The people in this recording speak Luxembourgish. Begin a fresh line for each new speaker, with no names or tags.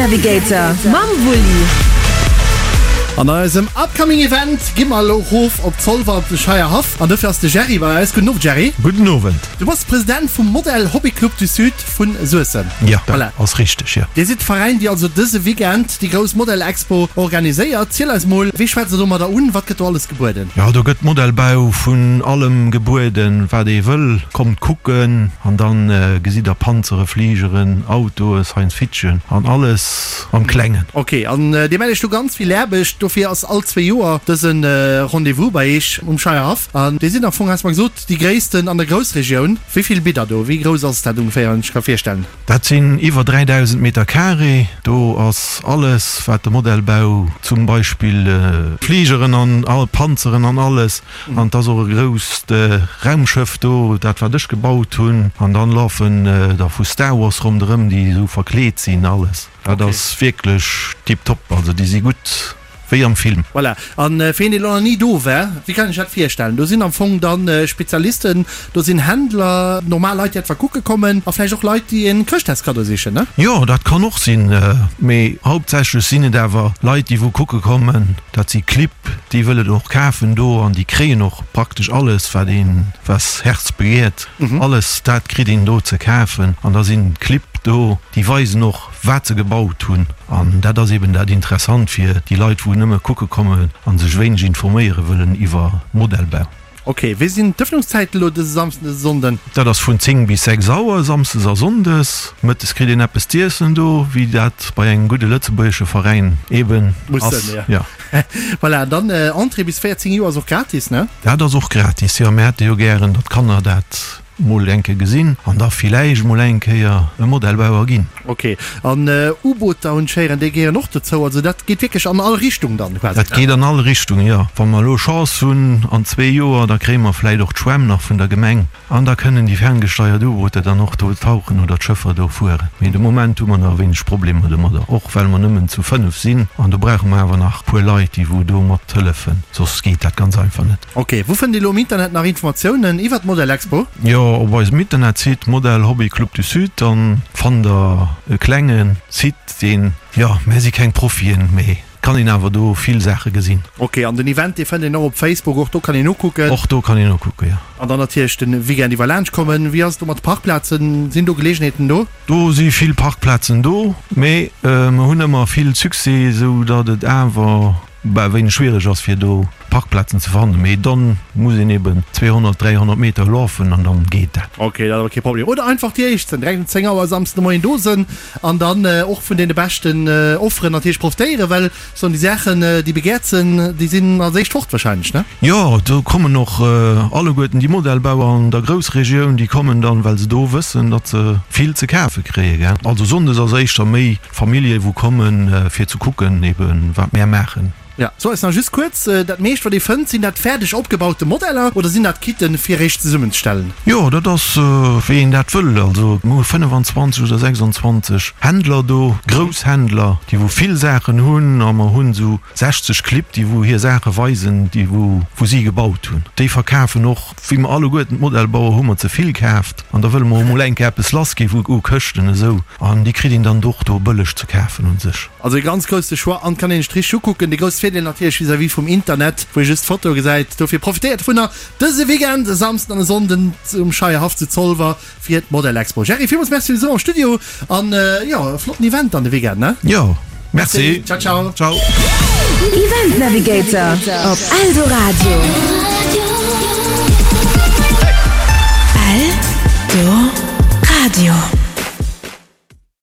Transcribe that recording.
Navigator mam Wulli.
An eisem upcoming Event gi mer elo rof op Zolwer op de Scheierhaff an dofir ass de Jerry bei eis. Gudden Owend Jerry.
Gudden Owend.
Du bass President vum Modell Hobby Club du Sud vun Suessem.
Jo, dat ass richteg, jo.
Dir sidd de Veräin déi also dëse Weekend déi grouss Modell Expo organiséiert. Ziel eis mol, wéi schwätzt der domadder un? Wat gëtt do alles gebueden?
Jo, do gëtt Modellbau vun allem gebueden, wat ee wëll. Kommt kucken an dann gesitt der Panzere, Fligeren, Autoe, Science Fiction an alles am Klengen.
Ok, an dir mellt iech do ganz vill Aarbecht. Dofir ass all zwee Joer dëse Rendez-vous bei iech um Scheierhaff. An dir sidd am Fong, has mer gesot, déi gréissten an der Groussregioun. Wéi vill bitt der do? Wéi grouss ass dat ongeféier, wann ech ka virstellen?
Dat sinn iwwer 3.000 Meter carré. Do ass alles, wat de Modellbau, zum Beispill Fligeren an all Panzeren an alles. An et ass och e grousst Raumschëff do, dat wat ech gebaut hunn. An dann lafen der vu Star Wars ronderëm, déi esou verkleet sinn, alles. Dat ass wierklech tiptop, also déi si gutt wéi am Film.
Voilà, an fir een deen elo nach ni do war, wéi kann ech dat virstellen? Do sinn am Fong dann Spezialisten, do sinn Händler, normal Leit déi etwa kucke kommen a vläicht och Leit déi en Chrëschtdagskaddo sichen, ne?
Jo, dat kann och sinn, mee hauptsächlech sinn et awer Leit déi wou kucke kommen. Dat si Clibb, déi wëllen och kafen do an déi kréien och praktesch alles wat een, was Herz begehrt, alles dat kritt een do ze kafen an da sinn Clibb do, déi weisen och wat se gebaut hunn an dat ass eben dat Interessant fir déi Leit wou nëmme kucke kommen a sech wéineg informéiere wëllen iwwer Modellbau.
Ok, wéi sinn d'Ëffnungszäiten elo dëse Samsden, dëse Sonnden?
Dat ass vun 10 bis 6 Auer samsdes a sonndes. Mëttes kritt een eppes z'iessen do, wéi dat bei engem gudde lëtzebuergesche Veräin eben
Muss
ass.
sënn, jo. Voilà, an dann Entrée bis 14 Joer ass och gratis, ne?
Dat ass och gratis, jo. Mir hätte jo gären, datt d'Kanner dat mol eng Kéier gesinn an da villäicht mol eng Kéier e Modellbauer ginn.
Ok, an U-Booter hunn ech héieren, déi gehéieren och dozou. Also dat geet wierklech an all Richtung dann
quasi? Dat geet an all Richtung, jo. Wa mer elo Chance hunn an zwee Joer, da kréie mer vläicht och d'Schwämm nach vun der Gemeng an da kënnen déi ferngesteiert U-Booter dann och do tauchen oder d'Schëffer do fueren. Mee de Moment hu mer nach e wéineg Problemer domadder, och well mer nëmmen zu 5 sinn an do brauche mer awer nach e puer Leit, déi wou do mat hëllefen, soss geet dat ganz einfach net.
Ok, wou fënnt ee lo am Internet nach Informatiounen iwwert d'Model Expo?
Jo, op eisem Internetsite Model Hobby Club du Sud, dann fannt der e klenge Site deen, jo, mär si keng Profien, mee kann een awer do vill Saache gesinn.
Ok, an den Event dee fënnt een och op Facebook, och do kann een nokucken?
Och do kann een nokucken, jo.
An dann natierlech den Weekend iwwer laanscht kommen. Wéi ass et do mat de Parkplazen, sinn do Geleegenheeten do?
Do si vill Parkplazen do, mee mer hunn ëmmer vill Succès, esou datt et awer Bah, wéineg schwiereg ass fir do Parkplazen ze fannen, mee dann muss een eben 200, 300 Meter lafen an dann geet dat.
Ok, dat ass awer kee Problem. Oder einfach déi éischt sënn, direkt um 10 Auer Samsden de Moien do sënn an dann och vun deene beschten Offeren natierlech profitéieren, well soen déi Saachen déi begehrt sënn, déi sinn als éischt fort wahrscheinlech, ne?
Jo, do kommen och alleguerten déi Modellbauer an der Groussregioun, déi kommen dann, well se do wëssen, datt se vill ze kafe kréie, gell. Also Sonndes ass éischter méi Famillje wou kommen fir ze kucken eben wat mär maachen.
Ja, so eis nach just kuerz, dat meescht wat ee fënnt, sinn dat fäerdeg opgebaute Modeller oder sinn dat Kitten fir eréischt zesummenzestellen?
Jo, dat ass wéi een dat wëll. Also mir hu 25 oder 26 Händler do, grouss Händler, déi wou vill Saachen hunn a mer hunn esou 60 Clibb, déi wou hir Saache weisen, déi wou wou si gebaut hunn. Déi verkafen och, wéi mer alleguerten d'Modellbauer hu mer ze vill kaaft an da wëlle mer och mol eng Kéier eppes lass gi u Këschten esou. An déi kritt een dann och do bëlleg ze kafen un sech.
Also e ganz grousse Choix an kann een sech richteg ukucken. De grousse Virdeel natierlech vis-à-vis vum Internet, wou ee just d'Fotoe gesäit. Dofir profitéiert dovunner dëse Weekend, e Samsden an e Sonnden um Scheierhaff zu Zolwer fir d'Model Expo. Jerry, villmools Merci fir de Besuch am Studio an jo, e flotten Event dann de Weekend, ne?
Jo, merci.
Ciao, ciao.
Ciao.
Event Navigator op Eldoradio.